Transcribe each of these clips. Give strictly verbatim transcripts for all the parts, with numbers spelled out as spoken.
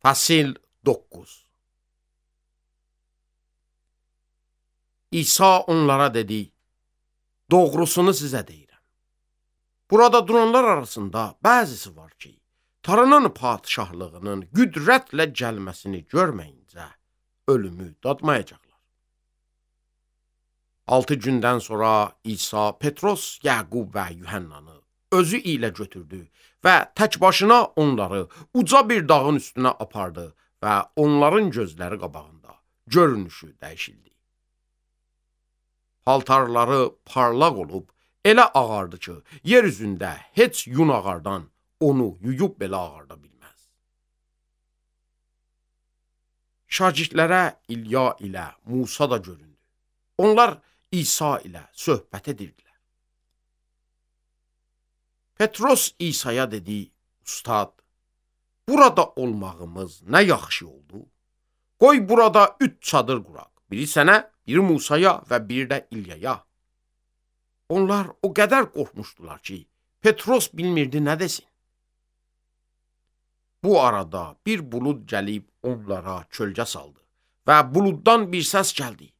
Fəsil doqquz. İsa onlara dedi, doğrusunu sizə deyirəm. Burada duranlar arasında bəzisi var ki, Tanrının padişahlığının qüdrətlə gəlməsini görməyincə ölümü dadmayacaqlar. Altı gündən sonra İsa Petros, Yaqub və Yuhannanı özü ilə götürdü və tək başına onları uca bir dağın üstünə apardı və onların gözləri qabağında görünüşü dəyişildi. Paltarları parlaq olub, elə ağardı ki, yer üzündə heç yun ağardan onu yuyub belə ağarda bilməz. Şagirdlərə İlya ilə Musa da göründü. Onlar İsa ilə söhbət edirdilər. Petros İsa'ya dedi, Ustad, burada olmağımız nə yaxşı oldu. Qoy burada üç çadır quraq. Biri sənə, biri Musaya və biri də İlyaya. Onlar o qədər qorxmuşdular ki, Petros bilmirdi nə desin. Bu arada bir bulud gəlib onlara kölgə saldı və buluddan bir səs gəldi.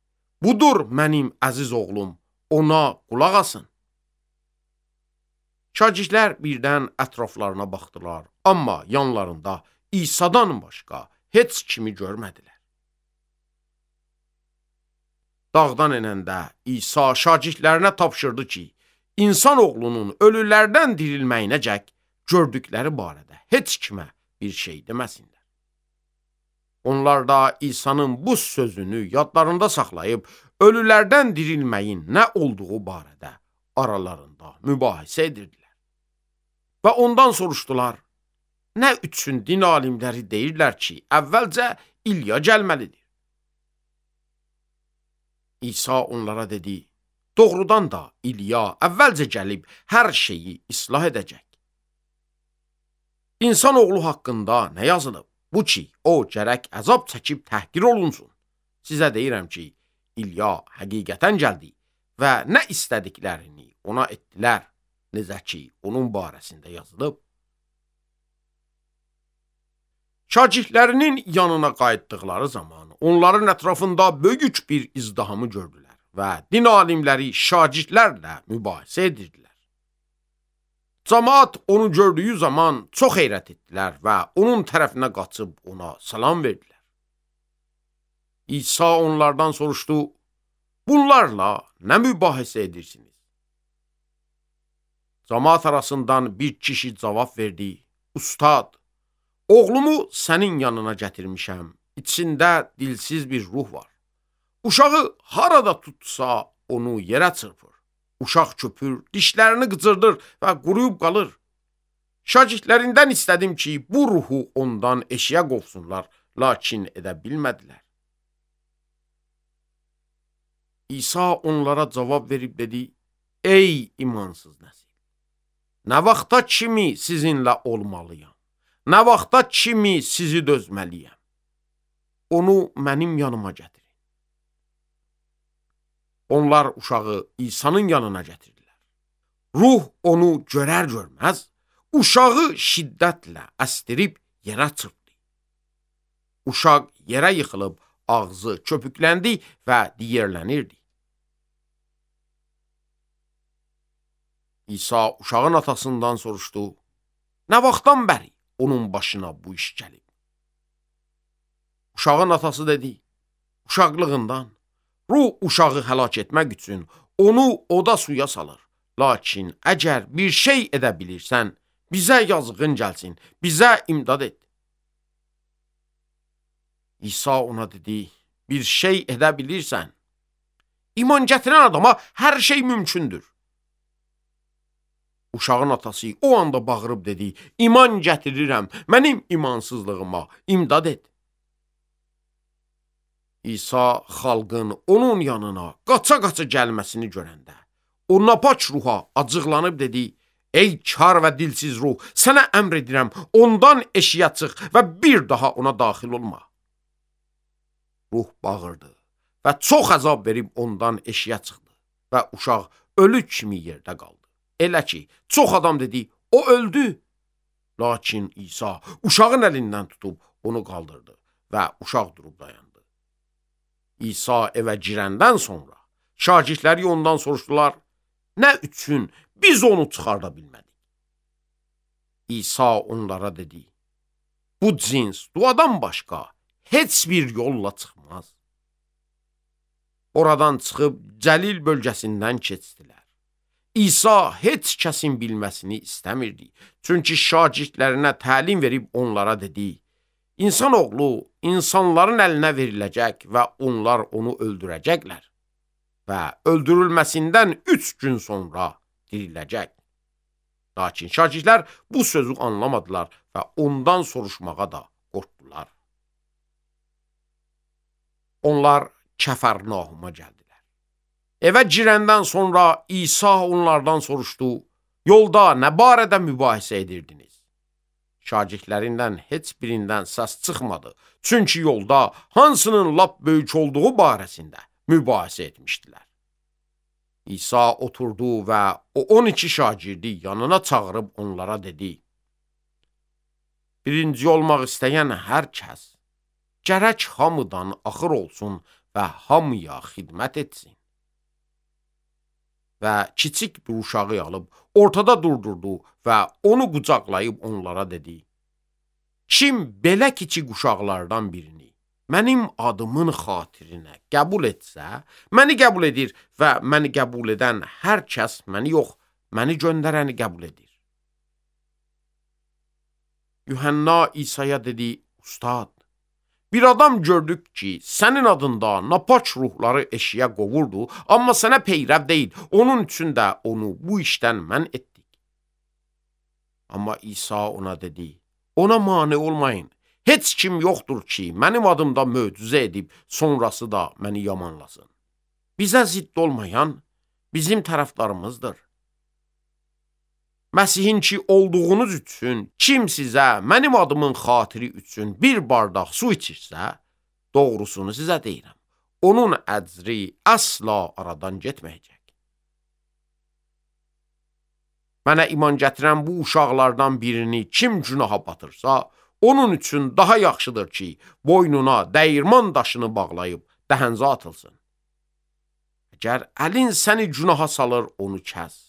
Budur mənim əziz oğlum, ona qulaq asın. Şagirdlər birdən ətraflarına baxdılar, amma yanlarında İsa'dan başqa heç kimi görmədilər. Dağdan enəndə İsa şagirdlərinə tapşırdı ki, insan oğlunun ölülərdən dirilməyinəcək gördükləri barədə heç kimə bir şey deməsinlər. Onlar da İsa'nın bu sözünü yadlarında saxlayıb, ölülərdən dirilməyin nə olduğu barədə aralarında mübahisə edirdilər. Və ondan soruşdular, nə üçün din alimləri deyirlər ki, əvvəlcə İlya gəlməlidir. İsa onlara dedi, doğrudan da İlya əvvəlcə gəlib hər şeyi islah edəcək. İnsan oğlu haqqında nə yazılıb? Bu ki, o gərək əzab çəkib təhqir olunsun. Sizə deyirəm ki, İlya həqiqətən gəldi və nə istədiklərini ona etdilər, necə ki, onun barəsində yazılıb. Şagirdlərinin yanına qayıtdıqları zaman onların ətrafında böyük bir izdihamı gördülər və din alimləri şagirdlərlə mübahisə edirdilər. Camaat onu gördüyü zaman çox heyrət etdilər və onun tərəfinə qaçıb ona salam verdilər. İsa onlardan soruşdu, bunlarla nə mübahisə edirsiniz? Camaat arasından bir kişi cavab verdi, Ustad, oğlumu sənin yanına gətirmişəm, içində dilsiz bir ruh var. Uşağı harada tutsa onu yerə çırpır. Uşaq köpür, dişlərini qıcırdır və quruyub qalır. Şagirdlərindən istədim ki, bu ruhu ondan eşiyə qovsunlar, lakin edə bilmədilər. İsa onlara cavab verib dedi, ey imansız nəsil, nə vaxta kimi sizinlə olmalıyam, nə vaxta kimi sizi dözməliyəm, onu mənim yanıma gətirin. Onlar uşağı İsa'nın yanına gətirdilər. Ruh onu görər görməz, uşağı şiddətlə əstirib yerə çırpdı. Uşaq yerə yıxılıb, ağzı köpükləndi və diyərlənirdi. İsa uşağın atasından soruşdu, nə vaxtdan bəri onun başına bu iş gəlib? Uşağın atası dedi, uşaqlığından. Ruh uşağı həlak etmək üçün onu oda suya salır. Lakin əgər bir şey edə bilirsən, bizə yazığın gəlsin, bizə imdad et. İsa ona dedi, bir şey edə bilirsən. İman gətirən adama hər şey mümkündür. Uşağın atası o anda bağırıb dedi, iman gətirirəm, mənim imansızlığıma imdad et. İsa xalqın onun yanına qaça-qaça gəlməsini görəndə, o napaç ruha acıqlanıb dedi, ey kar və dilsiz ruh, sənə əmr edirəm, ondan eşiyə çıx və bir daha ona daxil olma. Ruh bağırdı və çox əzab verib ondan eşiyə çıxdı və uşaq ölü kimi yerdə qaldı. Elə ki, çox adam dedi, o öldü. Lakin İsa uşağın əlindən tutub onu qaldırdı və uşaq durub dayandı. İsa evə girəndən sonra şagirdləri ondan soruşdular, nə üçün biz onu çıxarda bilmədik? İsa onlara dedi, bu cins duadan başqa heç bir yolla çıxmaz. Oradan çıxıb Cəlil bölgəsindən keçdilər. İsa heç kəsin bilməsini istəmirdi. Çünki şagirdlərinə təlim verib onlara dedi, İnsan oğlu insanların əlinə veriləcək və onlar onu öldürəcəklər və öldürülməsindən üç gün sonra diriləcək. Lakin şagirdlər bu sözü anlamadılar və ondan soruşmağa da qorxdular. Onlar Kəfərnauma gəldilər. Evə girəndən sonra İsa onlardan soruşdu, yolda nə barədə mübahisə edirdiniz? Şagirdlərindən heç birindən səs çıxmadı. Çünki yolda hansının lap böyük olduğu barəsində mübahisə etmişdilər. İsa oturdu və o on iki şagirdi yanına çağırıb onlara dedi, birinci olmaq istəyən hər kəs gərək hamıdan axır olsun və hamıya xidmət etsin. Və kiçik bir uşağı alıb ortada durdurdu və onu qucaqlayıb onlara dedi, kim belə kiçik uşaqlardan birini mənim adımın xatirinə qəbul etsə, məni qəbul edir və məni qəbul edən hər kəs məni yox, məni göndərəni qəbul edir. Yuhanna İsa'ya dedi, Ustad, bir adam gördük ki, sənin adında napaç ruhları eşiyə qovurdu, amma sənə peyrəv deyil, onun üçün də onu bu işdən mən etdik. Amma İsa ona dedi, ona mane olmayın, heç kim yoxdur ki, mənim adımda möcüzə edib, sonrası da məni yamanlasın. Bizə zidd olmayan bizim tərəfdarımızdır. Məsihin ki olduğunuz üçün kim sizə mənim adımın xatiri üçün bir bardaq su içirsə, doğrusunu sizə deyirəm. Onun əcri əsla aradan getməyəcək. Mənə iman gətirən bu uşaqlardan birini kim günaha batırsa, onun üçün daha yaxşıdır ki, boynuna dəyirman daşını bağlayıb dəhənzə atılsın. Əgər əlin səni günaha salır, onu kəs.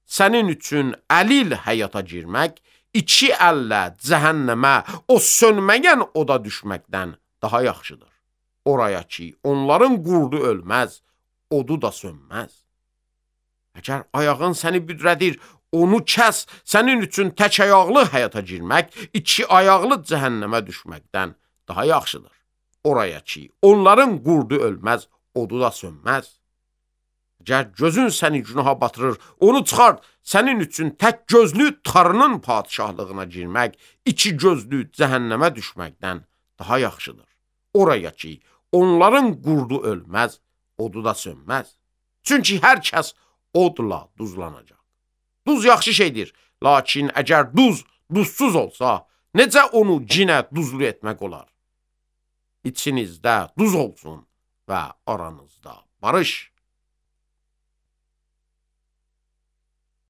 Sənin üçün əlil həyata girmək, iki əllə cəhənnəmə, o sönməyən oda düşməkdən daha yaxşıdır. Oraya ki, onların qurdu ölməz, odu da sönməz. Əgər ayağın səni büdrədir, onu kəs, sənin üçün tək ayaqlı həyata girmək, iki ayaqlı cəhənnəmə düşməkdən daha yaxşıdır. Oraya ki, onların qurdu ölməz, odu da sönməz. Əgər gözün səni günaha batırır, onu çıxart, sənin üçün tək gözlü tarının padişahlığına girmək, iki gözlü cəhənnəmə düşməkdən daha yaxşıdır. Oraya ki, onların qurdu ölməz, odu da sönməz. Çünki hər kəs odla duzlanacaq. Duz yaxşı şeydir, lakin əgər duz duzsuz olsa, necə onu cinə duzlu etmək olar? İçinizdə duz olsun və aranızda barış.